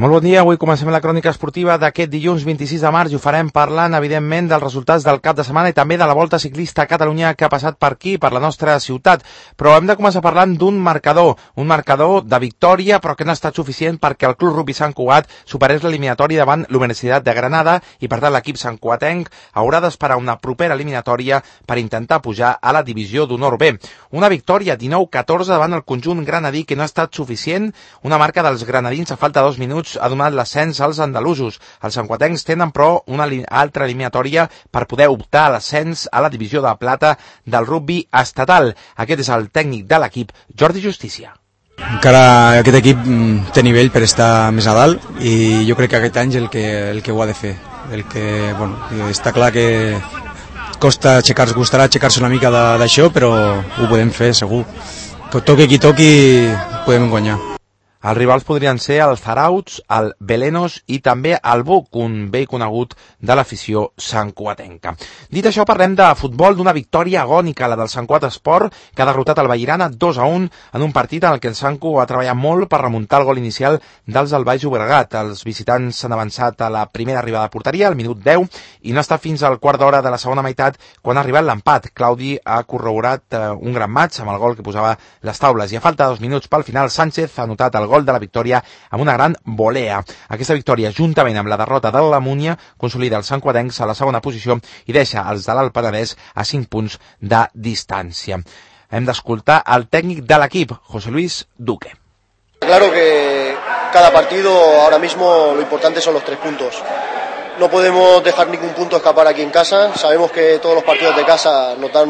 Molt bon dia, avui comencem la crònica esportiva d'aquest dilluns 26 de març i ho farem parlant, evidentment, dels resultats del cap de setmana i també de la Volta Ciclista a Catalunya que ha passat per aquí, per la nostra ciutat. Però hem de començar parlant d'un marcador de victòria, però que no ha estat suficient perquè el Club Rugby Sant Cugat superés l'eliminatòria davant l'Universitat de Granada i, per tant, l'equip santcugatenc haurà d'esperar una propera eliminatòria per intentar pujar a la divisió d'honor B. Una victòria 19-14 davant el conjunt granadí que no ha estat suficient, una marca dels granadins a falta de 2 minuts ha donat l'ascens als andalusos. Els santcugatencs tenen, però, una altra eliminatòria per poder optar a l'ascens a la divisió de plata del rugby estatal. Aquest és el tècnic de l'equip, Jordi Justícia. Encara aquest equip té nivell per estar més a dalt i jo crec que aquest any és el que ho ha de fer. Està clar que costarà aixecar-se una mica d'això, però ho podem fer segur. Que toqui qui toqui podem guanyar. Els rivals podrien ser el Zarauts, el Belenos i també el Buc, un vell conegut de l'afició santcugatenca. Dit això, parlem de futbol, d'una victòria agònica, la del Sant Cugat Esport, que ha derrotat el Vallirana 2-1 en un partit en el que el Santcu va treballar molt per remuntar el gol inicial dels del Baix Llobregat. Els visitants s'han avançat a la primera arribada a porteria, al minut 10, i no ha estat fins al quart d'hora de la segona meitat quan ha arribat l'empat. Claudi ha corroborat un gran maig amb el gol que posava les taules i a falta de 2 minuts pel final Sánchez ha anotat el gol de la victòria amb una gran volea. Aquesta victòria, juntament amb la derrota de la Múnia, consolida els santcugatencs a la segona posició i deixa els de l'Alt Penedès a 5 punts de distància. Hem d'escoltar el tècnic de l'equip, José Luis Duque. Claro que cada partido ahora mismo lo importante son los 3 puntos. No podemos dejar ningún punto escapar aquí en casa. Sabemos que todos los partidos de casa nos dan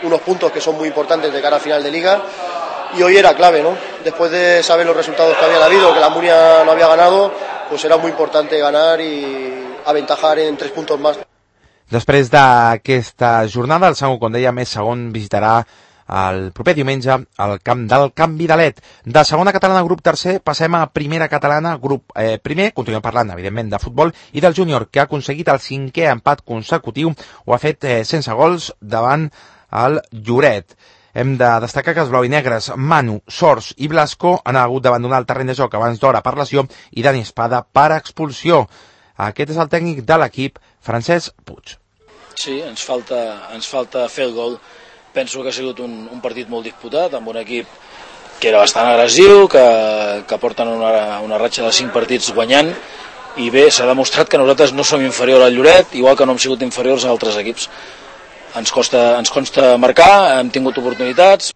unos puntos que son muy importantes de cara a final de liga. Y hoy era clave, ¿no? Después de saber los resultados que habían habido, que la Múnia no había ganado, pues era muy importante ganar y aventajar en 3 puntos más. Després d'aquesta jornada, el Santcu, com deia, més segon visitarà el proper diumenge al camp del Can Vidalet. De segona catalana, grup tercer, passem a primera catalana, grup primer. Continuem parlant, evidentment, de futbol i del júnior, que ha aconseguit el 5è empat consecutiu. Ho ha fet sense gols davant el Lloret. Hem de destacar que els blau i negres, Manu, Sors i Blasco han hagut d'abandonar el terreny de joc abans d'hora per lesió i Dani Espada per expulsió. Aquest és el tècnic de l'equip, Francesc Puig. Sí, ens falta fer el gol. Penso que ha sigut un partit molt disputat, amb un equip que era bastant agressiu, que porten una ratxa de 5 partits guanyant, i bé, s'ha demostrat que nosaltres no som inferiors al Lloret, igual que no hem sigut inferiors a altres equips. Ens consta marcar, hem tingut oportunitats.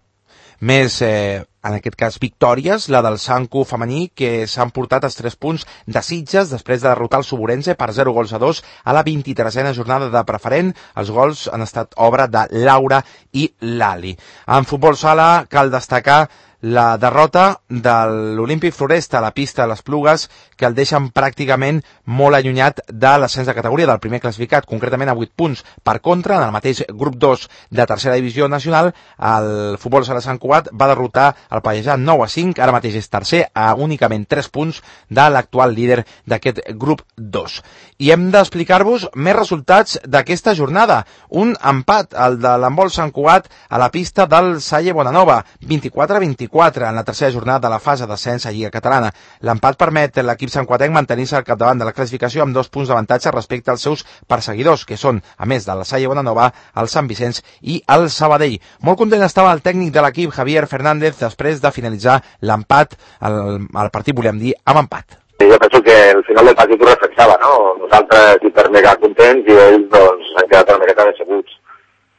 Més, en aquest cas, victòries, la del Santcu femení, que s'han portat els 3 punts de Sitges després de derrotar el Suburense per 0-2 a la 23a jornada de preferent. Els gols han estat obra de Laura i Lali. En futbol sala cal destacar la derrota de l'Olímpic Floresta a la pista de les Plugues, que el deixen pràcticament molt allunyat de l'ascens de categoria del primer classificat, concretament a 8 punts. Per contra, en el mateix grup 2 de tercera divisió nacional, el futbol sala Sant Cugat va derrotar el Pallejà 9-5, ara mateix és tercer a únicament 3 punts de l'actual líder d'aquest grup 2. I hem d'explicar-vos més resultats d'aquesta jornada. Un empat, el de l'handbol Sant Cugat a la pista del Salle Bonanova, 24-24 en la tercera jornada de la fase d'ascens a Lliga Catalana. L'empat permet a l'equip santcugatenc mantenir-se al capdavant de la classificació amb 2 punts d'avantatge respecte als seus perseguidors, que són, a més de la Salle Bonanova, el Sant Vicenç i el Sabadell. Molt content estava el tècnic de l'equip, Javier Fernández, després de finalitzar l'empat, el partit, volíem dir, amb empat. Jo penso que el final del partit ho reflexava, no? Nosaltres hiper mega contents i ells doncs han quedat una miqueta decebuts.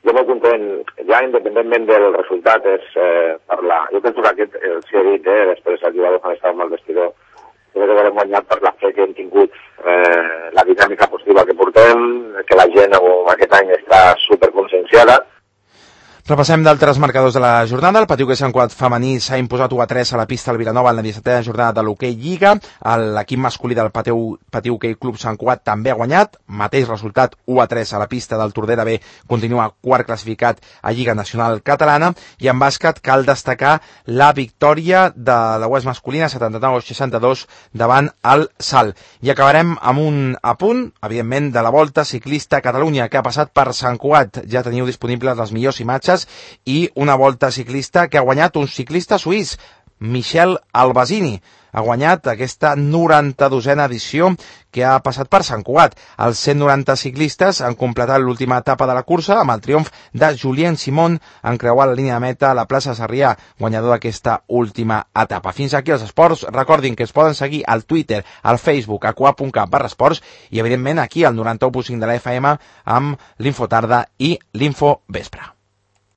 Jo molt content, ja independentment del resultat, és parlar. Jo penso que aquest, si he dit, després el jugador quan estava amb el vestidor, crec que l'hem guanyat per la fe que hem tingut, la dinàmica positiva que portem, que la gent aquest any està superconscienciada. Repassem d'altres marcadors de la jornada. El Patiu Sant Cugat femení s'ha imposat 1-3 a la pista del Vilanova en la 17a jornada de l'hoquei Lliga. L'equip masculí del Patiu Hoquei Club Sant Cugat també ha guanyat. Mateix resultat, 1-3 a la pista del Tordera B, continua quart classificat a Lliga Nacional Catalana. I en bàsquet cal destacar la victòria de la UES masculina 79-62 davant el Salt. I acabarem amb un apunt, evidentment, de la Volta Ciclista a Catalunya, que ha passat per Sant Cugat. Ja teniu disponibles les millors imatges i una volta ciclista que ha guanyat un ciclista suís, Michel Albasini. Ha guanyat aquesta 92a edició que ha passat per Sant Cugat. Els 190 ciclistes han completat l'última etapa de la cursa amb el triomf de Julien Simon en creuar la línia de meta a la plaça Sarrià, guanyador d'aquesta última etapa. Fins aquí els esports. Recordin que es poden seguir al Twitter, al Facebook, a cuap.cat/esports i, evidentment, aquí al 91.5 de la FM amb l'Infotarda i l'Infovespre.